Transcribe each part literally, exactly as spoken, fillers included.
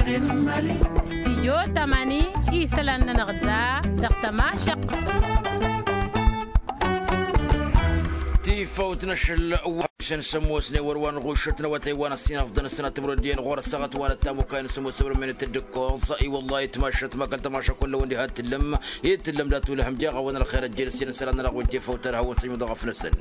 Stijyo tamani isălan-nănăɣ da dăɣ-tămašăqq. Tifawt n-ašăl wa s-ămoosnen wăr-wa n-ɣušăt n-awătay wa n-ăssinăɣ d-anăsănat timroddiyen ɣur-ăssaɣăt wa n-ăttamukay n-sămoos ăbrămen t-dd-ǝkkoẓ. I-wăllah itmašăt ma kăl-tămaša kull-ăwăn diha t-tǝllăm i-tǝllăm dat-ulhăm jeɣ-awăn ălxer ăjjeen ăssinăsălan-nănăɣ wen tifawt ad-hawăn-săjmǝḍ ɣăf-năsăn.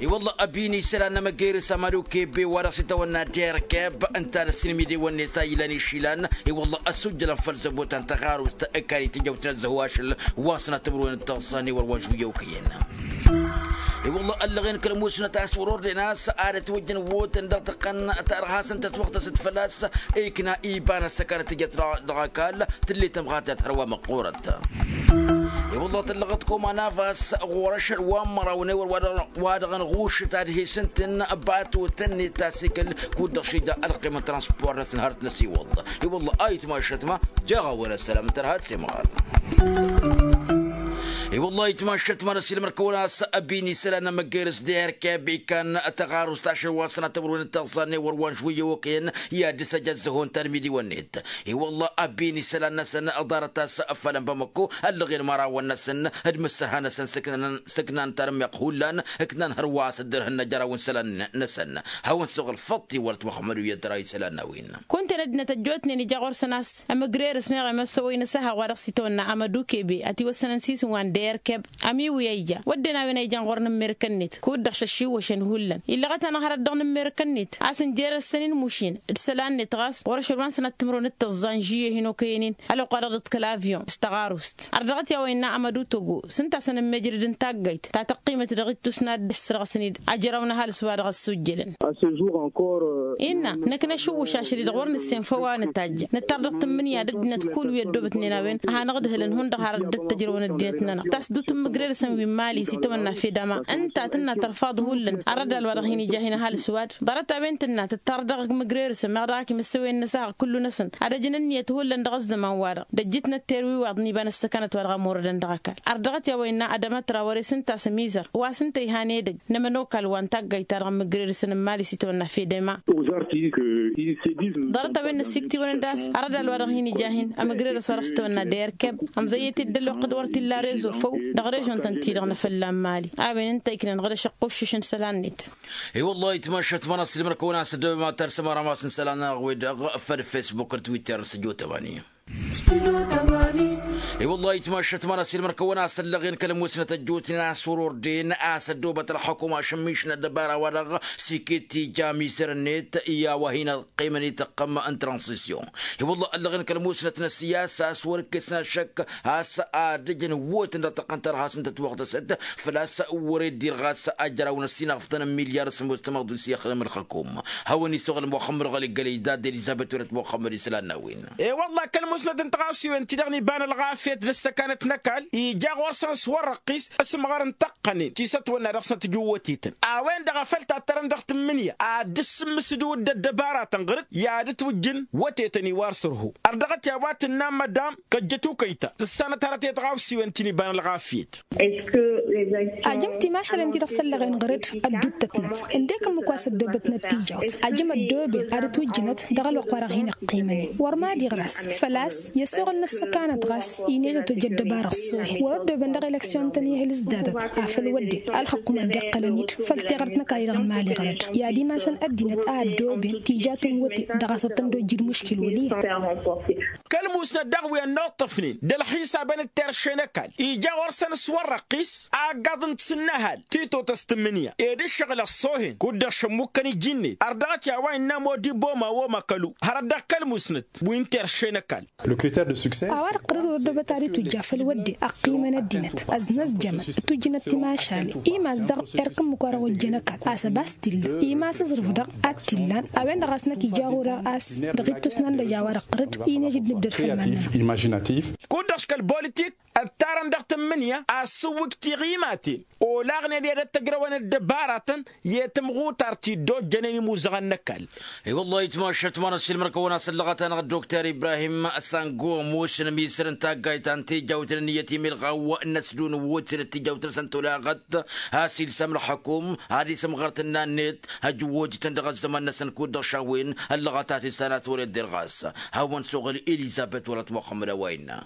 I-wălla ăbini isălan n-amăgger s-amădukebe wa dăɣ-s itawănna derkeb ǝnta n-ăssinmide-wăn-net a ilan išilan. I-wălla ăssujjălăn făll-zăbotăn tăɣarust ǝkkan itǝjăwt n-ăzzăhu ašăl wa n-sănat timǝrwen d-tăẓẓa n-ewăr wa n-žuyăw kăyăn. I-wălla ăllăɣen kăl-musnăt a-s wăr-ordăyăn a-s ad-ătwăjjăn wotăn dăɣ-tăqqăn ta dăɣ-hasăn-tătwăɣtăsăt făl-a-s ikna iba n-ăssăkanăt tǝjăt dăɣ-ăkall. Tǝllet ămɣatăt hărwa măqqorăt. I-wălla tăllăɣăt komanavas ɣur-ašăl wa n-măraw n-ewăr wa dăɣ-năɣušăt ad-he-s ǝntǝn bato tănnet tasikăl kud-dăɣ šija ălqim n-transpor-năsăn hărăt n-ăsiwăḍ. I-wălla a itmašăt ma jeɣ-awăn ăssălam n-tărha d-semɣar. I-wălla itmašăt ma n-ăsilmăr-kăwăn a-s ăbin isălan n-amăgger s-derkeb ikan tăɣarust ašăl wa n-sănatămăr-wen d-tăẓẓa n-ewăr wa n-žwǝyyăw okăyăn i-ad-dd-săj ăzzăhon tanmidi-wăn-net. I-wălla ăbin isălan-năsăn ḍarăt a-s fălăn bămăkko ăllăɣen mărawăn-năsăn d-imǝssărha-năsăn s-ǝknan tarǝmmeɣt hullan ǝknan hărwa a-s dd-irhǝnna jer-a-wen isălan-năsăn. Hawăn-suɣǝl făṭṭi wăr-ătwăxmădu i-ad-tăra isălan n-a-wen. Kunta-en ăddinăt ăjjootnen ija ɣur-săn a-s ămǝgrerǝs meɣ i-măssăwăy n-asăha wa dăɣ-s itawănna amădukebe ătiwăssănăn s-isǝm wa n-derkeb. Ămiwǝy a ija wădden a-wen a ijan ɣur-inǝmmerǝk-net kud-dăɣ šăššiwwăšăn hullan illăɣăt-anăɣ hărăt dăɣ-inǝmmerǝk-net a-s ǝnjer-ăssăn inmušin d-isălan-net ɣas ɣur-ašăl wa n-sănat timǝrwen d-tăẓẓa n-žiyye hin-okăyăn-in. Ălwăqq-wa-dăɣ dd-kăl-avyon s-tăɣarust ărdăɣăt i-a-wa innă amădutogo s-ǝnta a-s ănǝmmejrǝd n-taggayt ta tăqqimăt dăɣ-ittus n-ad-dd-ǝssărɣăsăn-dd ajrăw n-ăhalǝs wa dăɣ-ăssujjălăn. Innă năkk năšǝwwǝš ašăl-i-dăɣ wăr nǝssen făw a nǝtajj nǝttar dăɣ-tǝmmǝnǝya d-ăddinăt kull wi ăddoobătnen a-wen ad-hanăɣ-dd-hǝlăn hundăɣ har dd-ăttăjrăwăn ăddinăt-nănăɣ. Tas-dd-utǝmmǝgrerǝsăn wi n-mali s-itawănna fedama ǝnta tǝnna tărfaḍ hullan arrădal wa dăɣ-hin-ija hin-ăhalǝs-wad. Ḍarăt-a-wen tǝnna tǝttar dăɣ-imǝgrerǝsăn meɣ dăɣ-ak imǝssăwen n-asăɣ kullu-năsăn ad-ăjǝn ǝnniyăt hullan dăɣ-ăzzăman-wa-dăɣ d-ăjjǝtnăt terwiwaḍ n-iba n-ăssăkanăt wa dăɣ-ămorădăn dăɣ-ăkall. Ardăɣăt i-a-wa innă ad-ămătra wăr-e-s ǝnta a-s ămizăr wa s-ǝnta ihan edăgg n-ămănokal wa n-taggayt-ta-dăɣ n-imǝgrerǝsăn n-mali s-itawănna fedema. Ḍarăt-a-wen năssiktǝwăn-dd a-s arădal wa dăɣ-hin-ija hin-ămǝgrerǝs wa dăɣ-s tawănna derkeb ămzăyyăt-dd ălwăqq d-wăr t-illa rezo făw dăɣ-režon-tăn-ti-dăɣ n-afălla n-mali. A-wen ǝnta iknan ɣǝdăš ăqquššǝš n-isălan-net. I-wăllah itmašăt ma n-asǝlmăr-kăwăn a-s ăddăbăm ad-tarsăm arămas n-isălan-nănăɣ-wi-dăɣ făll-fesbuk d-twitter s-ăjo tămani. I-wăllah itmašăt ma n-asǝlmăr-kăwăn a-s ăllăɣen kăl-musnăt ăjjootnen a-s wăr-ordăyăn a-s ăddoobăt ălxukuma ašǝmmiš n-ăddăbara-wa-dăɣ s-iket tija amisăr-net i-a-wa hin-ăqqimăn i-tăqqăm n-transisyun. I-wăllah ăllăɣen kăl-musnăt n-ăssiyasa a-s wăr-ǝkkesăn ašăk a-s ad-ǝjǝn wătăn dăɣ-tăqqăn tărha s-ǝnta ătwăɣtăsăt făl-a-s wăr-e-dd-irɣas ajrăw n-ăssinăɣfătăn n-milyar s-ămoos tămaḍu s-ixdăm ălxăkum. Hawăn-isuɣǝl muxămmăd ɣăli gălăy dad-elizăbet wăr-ătmuxămmăd isălan n-a-wen. I-wăllah kăl-musnăt n-tăɣawsiwen-ti-dăɣ n-iba n-ălɣafyăt d-ăssăkanăt n-ăkall ija ɣur-săn s-wăr-răqqis ăsmăɣăr n-tăqqănen ti s-ătwănna dăɣ-snăt ǝjǝw wătetăn. A-wen-dăɣ a făl tattărăn dăɣ-tǝmmǝnǝya ad-dd-sǝmmǝsǝd udd ăddăbaratăn ɣăr-dd i-ad-ǝtwǝjjǝn wătetăn iwar sărho. Ărdăɣăt i-a-wa tǝnna n-mădam kăjjăt ukăyta tǝssanăt hărăt i-tăɣawsiwen ti n-iba n-ălɣafyăt. Ajăm timašalen-ti-dăɣ s-ăllăɣen ɣăr-dd ădduuttătnăt ǝndek ǝmmǝk wa s-ăddoobătnăt tijawt. Ajăm ăddooben ad-ătwǝjjǝnăt dăɣ-ălwăqq-wa-dăɣ hin-ăqqiimănen wăr mad-iɣras făl-a-s i-ăsoɣăl n-ăssăkanăt ɣas inet ătwăjj ăddăbarăɣ s-ohen wăr-ăddooben dăɣ-eleksyon-tăn i-ehăl s-datăt. Afăl wădden ălxăqqum ad-dd-iqqălăn-dd făll-teɣărt n-ăkall-i-dăɣ n-mali ɣăr-dd i-ad-imasăn ăddinăt a ăddooben tijatăn wăte dăɣ-a-s wăr tăn-dd-ojjǝd muškil wăl' iyyăn. Kăl-musnăt daɣ wi ănnuṭṭăfnen d-ălxisabăn d-terše n-ăkall ija ɣur-săn s-wăr-răqqis aggaḍ n-tisǝnnăhal titotăs tǝmmǝnǝya ed ǝššăɣǝl ăṣṣoohen kud-dăɣ šămmukkăn iji-net ărdăɣăt i-a-wa innă modibo ma wom ăkălu hărăt dăɣ-kăl-musnăt wi n-terše n-ăkall. A-wa dăɣ-tărăd wăr ăddoobăt ad-itwǝjja făll-wădden ăqqiimăn ăddinăt ăznăzjămăn ǝtwǝjjǝnăt timašalen imas dăɣ-erk ǝmmǝk wa dăɣ-ojjăn ăkall a-s ăbas t-illa imas aẓrǝf dăɣ-ad-t-illan. A-wen-dăɣ a-s năkk ija ɣur-eɣ a-s dăɣ-ittus n-anda ija wa dăɣ-tărǝd inejăd n-ǝddăr făll-iman-nănăɣ. Kud-dăɣ kăl-politik ǝttarăn dăɣ-tǝmmǝnǝya a ăssǝwwǝk tiɣimaten olaɣnen i-ad-ăttăjrăwăn ăddăbaratăn i-tǝmɣutar ti dd-ojjănen imuzăɣăn n-ăkall. I-wăllah itmašăt ma n-ăssiilmăr-kăwăn a-s ăllăɣăt-anăɣ dd-okter ibrahim sango ămoosăn ămisăr n-taggayt. ta n-tijawt n-ǝnniyăt imilɣaw n-ăsdun wojăn d-tijawt-năsăn tolaɣăt. A-s ilsăm ălxukum ad-isǝmɣăr tǝnna-net ăjwojǝtăn dăɣ-ăzzăman-năsăn kud-dăɣ šawen ăllăɣăt a-s issan a-s wăr-ed-derɣas. Hawăn-suɣǝl elizăbet wălăt muxămmăd a-wa innă.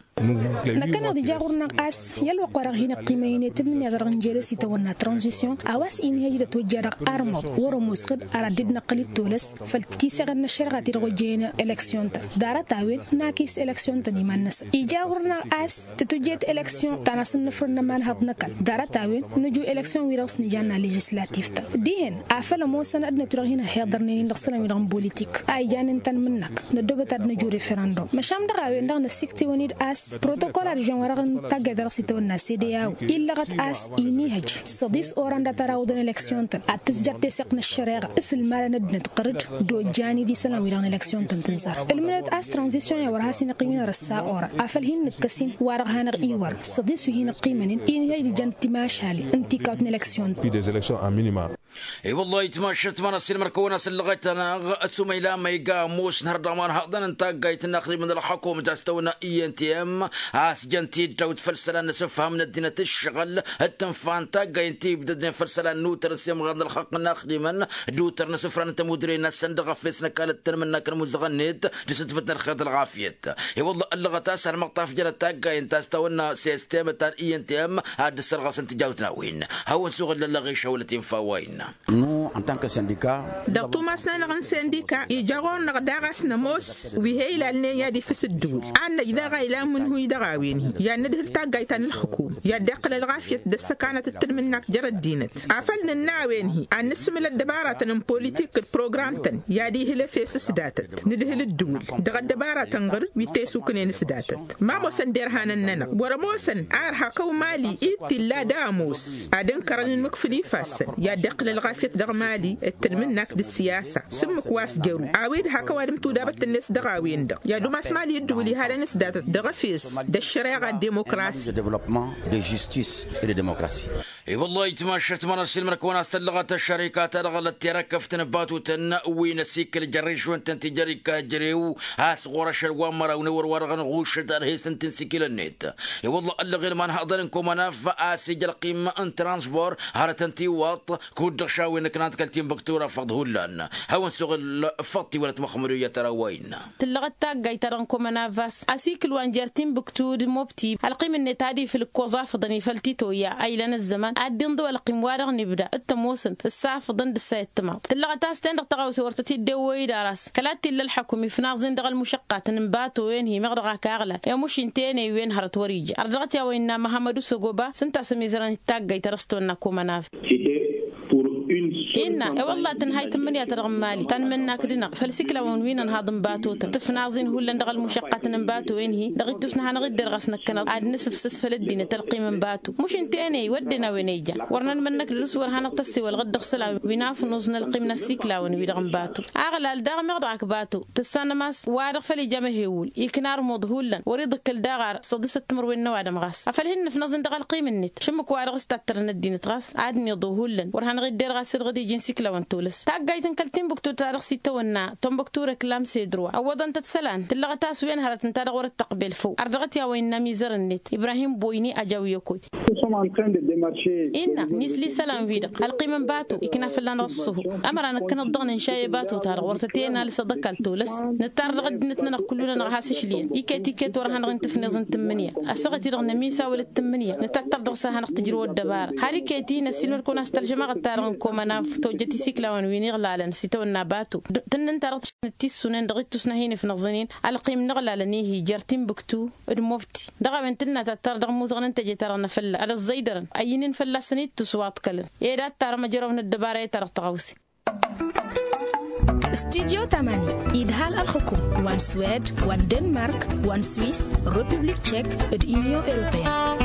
Năkkăneḍ ija ɣur-năɣ a-s i-ălwăqq-wa-dăɣ hin-ăqqimăynet ǝmǝnǝya-dăɣ dăɣ-injel s-itawănna tranzisyon a-wa s-inhăj d-ătwăjja dăɣ-armăḍ wăr-ămoos xǝd ar ad-dd-năqqǝl d-tolăs făll-tiseɣen n-ăššăreɣa ti-dăɣ ojjăyăn eleksyon-tăn. Ḍarăt-a-wen n-akǝyǝs eleksyon-tăn iman-năsăn ija ɣur-năɣ a-s tǝtwǝjjet eleksyon ta n-asǝnnǝfrǝn n-ămanhăḍ n-ăkall. Ḍarăt-a-wen nǝju eleksyon-wi-dăɣ s-nǝjanna ležǝslativ-tăn dihen afăl ămoosăn ad-nătu dăɣ-hin-ăhhiḍărnen-in dăɣ-isălan-wi-dăɣ n-bolitik a ijan ǝnta n-imǝnnăk. Năddoobăt ad-năju referăndum măšan dăɣ-a-wen-dăɣ năssiktǝwăn-dd a-s protokol ad-žen wa dăɣ-n taggayt ta dăɣ-s itawănna sede a-wen illăɣăt a-s inihăj s-săḍis oran dat-ara awǝḍăn eleksyon-tăn ad-tǝzjăr teseɣt n-ăššăreɣa s-ǝlmalăn ăddinăt ɣǝr-dd d-ojjan-dd isălan-wi-dăɣ n-eleksyon-tăn tǝzzar. Ǝlmǝnăt a-s tranzisyon i-a wăr has-inăqqim inărăssa oran afăl hin-nǝkkăs-in wa-dăɣ hanăɣ-iwăr săḍis wi hin-ăqqimăn-in inihăj d-ijăn timašalen n-tikawt n-eleksyon-tăn. I-wăllah itmašat ma n-asilmăr kăwăn-asăllăɣăt-anăɣ ăsumăyla ma iga ămoos n-hăr dăɣ-imanhaḍăn n-taggayt n-inaxdimăn ălxukum ta s-tăwănna i n t m a-s jăn tiddawt făll-isălan n-asǝfham n-ăddinăt ǝššăɣǝl d-tǝnfa n-taggay n-tibdădnen făll-isălan n-utăr n-semɣar n-ălxaqq n-inaxdimăn d-utăr n-asǝfran n-tămudre-năsăn dăɣ-efes n-ăkall d-tanmǝnnak n-imuzăɣăn-net d-asǝtbăt n-ălxer d-ălɣafyăt. I-wălla ăllăɣăt a-s ălmăṭṭaf jărăt taggay n-ta s-tawănna sistem ta n-i n t m ad-dd-ăssărɣăsăn tijawt n-a-wen. Hawăn-suɣǝl ăllăɣ išăwălăt infa wa innă. Dăɣ-tumas-nănăɣ n-sindika ija ɣur-năɣ daɣ a-s nămoos wi he-ilalnen i-ad-ifǝs ǝddǝwǝl ad-năj daɣ a ilan imǝnhǝy dăɣ-a-wen-hi i-ad-nǝdhǝl taggayt ta n-ǝlxǝkum i-ad-dd-iqqǝl ălɣafyăt d-ăssăkanăt d-tanmǝnnakt jer-ăddinăt afăl nǝnna a-wen-hi ad-nǝssǝmǝl ăddăbaratăn n-politik d-program-tăn i-ad-ihǝl efes s-datăt nǝdhǝl ǝddǝwǝl dăɣ-ăddăbaratăn ɣǝr-dd wi t-esuknen s-datăt. Ma ămoosăn derhanăn-nănăɣ wăr-ămoosăn a ărha kăw-mali-i t-illa d-ămoos ad-ǝnkărăn ǝnmǝkfǝl ifassăn i-ad-dd-iqqǝl ălɣafyăt dăɣ-mali d-tanmǝnnakt d-ǝssiyasa s-ǝmmǝk wa s-jăru a-wi d-hak ăwadǝm tudabăt-net dăɣ-a-wen-dăɣ i-ad-umas mali ǝddǝwǝl ihadăn s-datăt dăɣ-efes d-ăššăreɣa d-demokrasi. De demokrasi e de demokrasi. I-wăllah itmašat ma n-asilmăr kăwăn-as-tăllăɣăt ăššărika-ta-dăɣ lătterăkăft n-batutăn wi n-asikǝl jăr-išwăn-tăn ti jăr-ikajrew a-s ɣur-ašăl wa n-măraw n-ewăr wa-dăɣ n-ɣušăt ad-hesăn tinsikilăn-net. I-wăllah ăllăɣel ma n-haḍăn n-komanaf a-s ija ălqim n-transbor hărătăn tiwaḍt kud-dăɣ šawen ǝknant kăl-tinbăktu ra făḍ hullan. Hawăn-suɣǝl făḍ tiwălăt muxămmăd oyyăt ara wa innă. Tǝllăɣăt taggayt-ta-dăɣ n-komanaf a-s asikǝl wa n-jer-tinbǝktu d-mobti ălqim-net ad-ifǝl ǝkkoẓ afǝḍăn ifăl titoyya a ilan ăzzăman ad-dd-inḍǝw ălqim wa-dăɣ n-ibda d-tămoosăn ǝssa afǝḍăn d-ǝssa i-ăttămaḍ. Tǝllăɣăt a-s ten-dăɣ tăɣawse wăr tăt-dd-ewwăy d-aras kăla t-illa ălxăkum ifnaẓ-in dăɣ-ălmušăqqatăn n-bato-en-hi meɣ dăɣ-ak aɣlal i-amuš inta-en-ăyy wen hărăt wăr-ija ărdăɣăt i-a-wa innă măhămmăd usăgoba s-ǝnta a-s ămizărăn d-taggayt ta dăɣ-s tăwănna komanaf. Innă i-wălla tǝnhay tǝmmǝnǝya-ta-dăɣ n-mali ta n-imǝnnakt-dăɣ făll-isiklawăn wi n-ănhaḍ n-bato-tăn tǝfnaẓ-in hullan dăɣ-ălmušăqqatăn n-bato-en-hi dăɣ-ittus n-ad-hanăɣ-dd-irɣas năkkăneḍ ad-nǝsǝfsǝs făll-ăddinăt ălqim n-bato. Muš ǝnta-en-ăyy wădden a-wen ija wăr nănmănnăk dăr-s wăr hanăɣ-tăssewălăɣ-dd dăɣ-isălan wi n-afnuẓ n-ălqim n-asiklawăn-wi-dăɣ n-bato. Aɣlal daɣ meɣ dăɣ-ak bato tǝssanăm a-s wa-dăɣ făl ija amăhewǝl ikna armuḍ hullan wăr-iḍǝkkǝl daɣ ar săḍisăt timǝrwen n-ăwadǝm ɣas afăl hin-nǝfnăẓ-in dăɣ-ălqim-net šǝmmǝk wa-dăɣ s-tattărăn ăddinăt ɣas ad-niḍu hullan wăr hanăɣ-dd-erɣ a-s irɣǝd iji n-isiklawăn tolăs. Taggayt n-kăl-tinbǝktu ta dăɣ-s itawănna tănbăktu reklam sedrwa ăwwăḍăn-tăt isălan tǝllăɣăt a-s wen hărăt ǝnta-dăɣ wăr-ăttăqbel făw ărdăɣăt i-a-wa innă amizărăn-net ibrahim boyni ajăw i-okăy. Innă misli isălan-wi-dăɣ ălqim n-bato ikna fălla-năɣ ǝṣṣuhu ămăra năkkăneḍ-dăɣ nǝnša i-bato-ta-dăɣ wăr tăt-e-nalǝs aḍăkal tolăs. Nǝttar dăɣ-ăddinăt-nănăɣ kullu-nănăɣ has-ǝšliyăn iket-iket wăr hanăɣ-in-tǝfneẓ n-tǝmmǝnǝya. Ăssaɣăt-i-dăɣ nămisawăl d-tǝmmǝnǝya nǝtattăr dăɣ-s ad-hanăɣ-tǝjrǝw ăddăbara har iket-i năssiilmăd-kăwăn a-s tălžămaɣăt-ta-dăɣ n-komănaf tojjăt isiklawăn wi n-iɣlalăn s-itawănna bato. Tǝnnǝn-ta-dăɣ tǝššănăt tissunen dăɣ-ittus n-ad-hin-ifnăẓăn-in ălqim n-iɣlalăn-i-hi jer-tinbǝktu d-mobti. Dăɣ-a-wen tǝnna tattăr dăɣ-imuzăɣăn n-teje-ta-dăɣ n-afălla ad-ăẓẓăydărăn ăyyǝnen fălla-săn ittus wa ǝḍkălăn. Ed ad-tarăm ăjrăw n-ăddăbara i-ta-dăɣ tăɣawse. Studyo tamani idhal ălxǝkum wa n-swed wa n-denmark wa n-swis, republik tšek d-inyon europeyăn.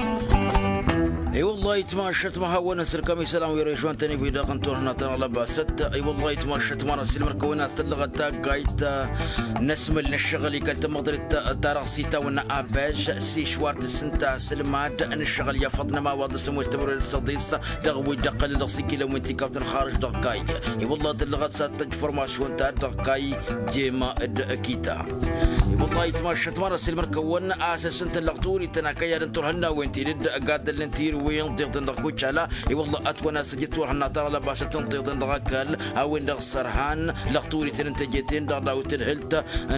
I-wăllah ayǝtmašăt ma hawăn-ăsǝlkăm isălan wi režon-tăn-ibi-dăɣ n-turhǝnna ta n-alăbasăt. I-wăllah ayǝtmašăt ma n-asǝlmăr-kăwăn a-s tăllăɣăt taggayt n-asmǝl n-ăššăɣǝl ikăl-tămmăḍrit ta dăɣ-s itawănna abăž s-išwar tǝssǝnta asǝlmad n-ăššăɣǝl i-afăḍ n-ămawaḍ s-ămoos tămrăwed s-ăḍis dăɣ-wi dd-ăqqălăn dăɣ-s ikilăn wi n-tikawt n-ălxarǝj dăɣ-kayy. I-wăllah tǝllăɣăt s-ad-tăj formašyon ta dăɣ-kayy jema d-kita. I-wăllah ayǝtmašăt ma n-asǝlmăr-kăwăn a-s ǝssǝntăn lăɣturităn akăyad n-turhǝnnawen ti dd-gaddălnen tirǝwen ḍiḍen dăɣ-kucala. I-wăllah ătwănna s-tǝjǝd turhǝnna ta n-alăbasăt n-ḍiḍen dăɣ-ăkall a-wen-dăɣ sărhan lăɣturităn n-teje-ten-dăɣ daw-tǝdhǝlt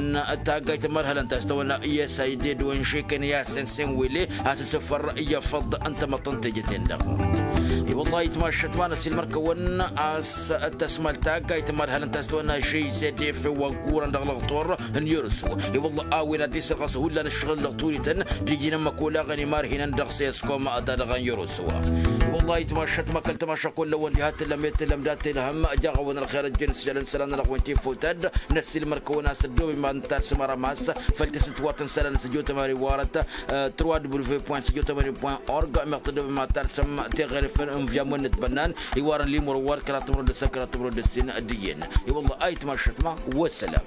n-taggayt ămărhălăn ta s-tăwănna i-s a ided wa n-žekăn i-asăn s-enwele a-s ăsofăr i-afăḍ n-tamăḍt n-teje-ten-dăɣ. I-wăllah ayǝtmašăt ma n-asǝlmăr-kăwăn a-s tăsmăl taggayt ămărhălăn ta s-tăwănna žezed efew wa n-kurăn dăɣ-lăɣtor n-yărusu. I-wăllah a-wen ad-dd-isăr ɣas hullan ǝššăɣǝl lăɣturităn d-iji n-ămmăk olaɣăn imarhinăn dăɣ-seskom ta dăɣ-en yărusu. I-wăllah ayǝtmašăt ma kăl-tămaša kullăwăn diha tǝllăm i-tǝllăm dat-ilhăm jaɣ-awăn ălxer ăjjăn s-jălăn isălan-nănăɣ wen tifutăd. N-ăssiilmăr-kăwăn a-s ăddooben iman n-talsăm arămas făll-tisǝtwărt n-isălan s-ăjjootăm ar iwarăt trois w point s-ăjjootăm ar point org meɣ tăddooben iman n-talsăm teɣăre făll-ǝnvǝyam wăn-nǝtbănnan iwarăn limur ăwwal kăraḍ timrăw d-ǝssan kăraḍ timrăw d-ǝssin. Dd-iyyăn i-wăllah ayǝtmašăt ma. Wăssălam.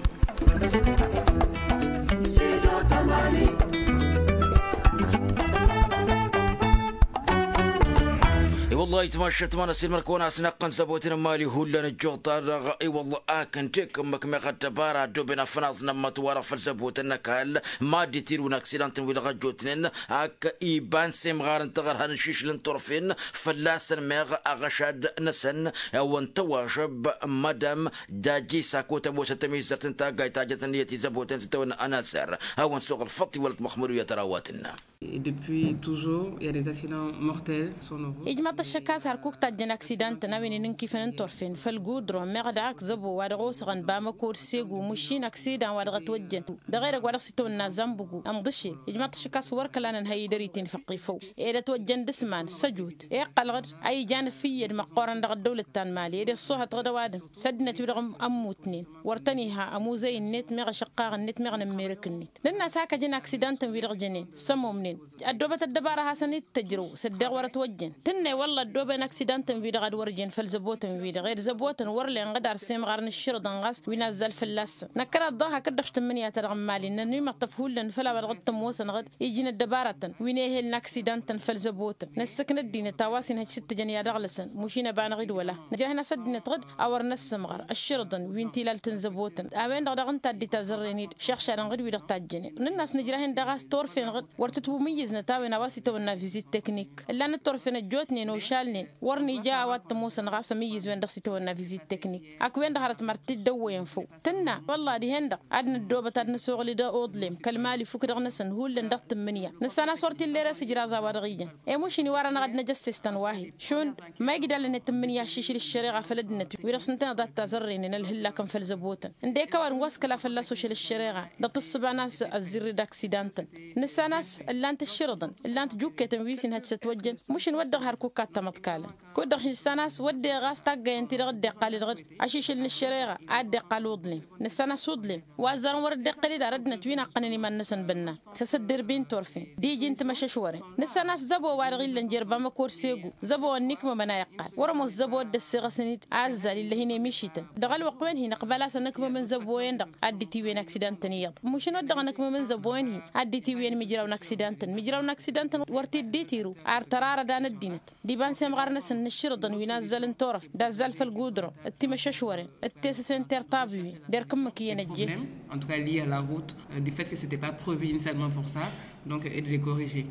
I-wăllah ayǝtmašăt ma n-ăssiilmăr-kăwăn a-s naqqăn zăbotăn n-imali hullan ăjjuɣ-ta-dăɣ. I-wăllah akǝn tekǝmmăk meɣ ăddăbara ăddooben afănaẓ n-ămmăt-wa-dăɣ făll-zăbotăn n-ăkall mad-itirǝw n-aksidantăn-wi-dăɣ ăjjootnen ak iba n-semɣar n-taɣărha n-ašišǝl n-turfen fălla-săn meɣ aɣăšad-năsăn. Awăn tăwažăb madam dajisa kotăm osăt tămizărt n-taggayt ta jăt ǝnniyăt izăbotăn s-tăwănna ănasăr. Awăn-suɣ ălfăṭṭ iwălăt măxmădu i-ad-tărawatǝnna. Et depuis toujours il y a des accidents mortels. Ijmăḍ-t ăššăk a-s hărkuk tajjăn aksidantăn a-wen inǝnkifăn n-turfen făll-gudron meɣ daɣ ak zăbo wa dăɣ-osăɣăn bamăko d-segu măšin aksidan wa dăɣ-ătwăjjăn dăɣ-edăgg wa dăɣ-s itawănna zănbǝgu ănḍǝšel. Ijmăḍ-t ăššăk a-s wăr kăla nǝnhăy idăr-iten făqqifăw ed ătwăjjăn d-asman s-ăjut iqqălăɣ-dd a ijan ăfǝyyăd măqqoorăn dăɣ-ăddăwlăt ta n-mali ed iṣṣuhătăɣ d-ăwadǝm s-ăddinăt-wi-dăɣ ămmutnen wăr tăn-iha ămuzăy-net meɣ ašăqqaɣ-net meɣ n-ămmerăk-net. Nǝnn'-as hakăjăn aksidantăn-wi-dăɣ jănen s-ămomnen ăddoobăt ăddăbara a hasăn-dd-tăjrăw s-ăddeeɣ wăr-ătwăjjăn tǝnnăy wălla ăddooben aksidantăn-wi-dăɣ ad-wăr jen făll-zăbotăn-wi-dăɣ ed zăbotăn wăr len ɣǝd ar semɣar n-ǝššǝrǝḍăn ɣas wi n-azzal fălla-săn. Năkkăraḍ daɣ hakd-dăɣ tǝmmǝnǝya-ta-dăɣ n-imali nănimăṭṭăf hullan făll-a-wa dăɣ-t-ămoosăn ɣǝd iji n-ăddăbaratăn wi n-ehel n-aksidantăn făll-zăbotăn năssǝkna ăddinăt a-wa s-inhăj s-ǝttǝjăn i-ad-ăɣlăsăn mušin ăba n-aɣ-dd-wăla. Nǝjrah-in a-s ăddinăt ɣǝd a wăr năssămɣăr ǝššǝrǝḍăn wi n-tilalt n-zăbotăn a-wen-dăɣ daɣ ǝnta a dd-itazărren-dd šăɣšadăn ɣǝd wi-dăɣ tajjănen. Nǝnn'-as nǝjrah-in daɣ a-s turfen ɣǝd wăr tǝtwǝmǝyyǝznăt a-wen a-wa s-itawănna vizit teknik ǝllan d-turfen ăjjootnen ošalnen wăr nija a-wa t-ămoosăn ɣas ămǝyyǝz-wen-dăɣ s-itawănna vizit teknik. Ak-wen-dăɣ hărăt măr t-dd-ăwwăyăn făw tǝnna wălla dihen-dăɣ ad-năddoobăt ad-năsoɣǝl d-oḍlem kăl-mali fukk dăɣ-năsăn hullan dăɣ-tǝmmǝnǝya. Nǝssan a-s wăr t-illa ere-s ǝjraẓ a-wa-dăɣ ijan i-mušin iwar-anăɣ ad-năj ăssestăn wa-hi šund ma ijlalăn i-tǝmmǝnǝya aššǝšǝl ǝššăreɣa făll-ăddinăt wi-dăɣ s-ǝntăneḍ ad-t-azărrenen ălhǝllakăn făll-zăbotăn ǝndek a-wa dăɣ-wa s-kăla fălla-s ošăl ǝššăreɣa dăɣ-tǝssǝba n-a-s ăzzirri d-aksidantăn. Nǝssan a-s ǝllan-t ǝššǝrǝḍăn ǝllan-t jukketăn wi s-inhăj s-ătwăjjăn mušin wădden hărkuk ad-tamăḍkalăn. Kud-dăɣ nǝssan a-s wădden ɣas taggayăn-ti-dăɣ dd-iqqal-dd ɣǝd ašišǝl n-ǝššăreɣa a dd-iqqal uḍlem. Nǝssan a-s uḍlem wa ăzzarăn wăr dd-iqqǝl-dd ar ăddinăt wi naqqănăn iman-năsăn bănnan s-asăddǝrbi n-turfen d-iji n-timăšăšwăren. Nǝssan a-s zăbo-wa-dăɣ illăn jer-bamăko d-segu zăbo ănnikmămăn a iqqal wăr-ămoos zăbo dd-ăssiɣăsăn-dd a ăzzal illăh-in emišităn. Dăɣ-ălwăqq-wen-hi nǝqbal a-s ănǝkmămăn zăbo-en-dăɣ ad-dd-itiwǝyăn aksidantăn iyyăḍ mušǝn wădden ănǝkmămăn zăbo-en-hi ad-dd-itiwǝyăn imǝjraw n-aksidantăn imǝjraw n-aksidantăn wăr t-dd-itiru ar tărarădan ăddinăt d-iba n-semɣar-năsăn n-ǝššǝrǝḍăn wi n-azzal n-turăft d-azzal făll-gudron d-timăššăšwăren d-tesăse n-tertabiwen d-erk ǝmmǝk iyyăn ăjjeen. En tout cas lié à la route, euh, du fait que c'était pas prévu initialement pour ça, donc et de les corriger.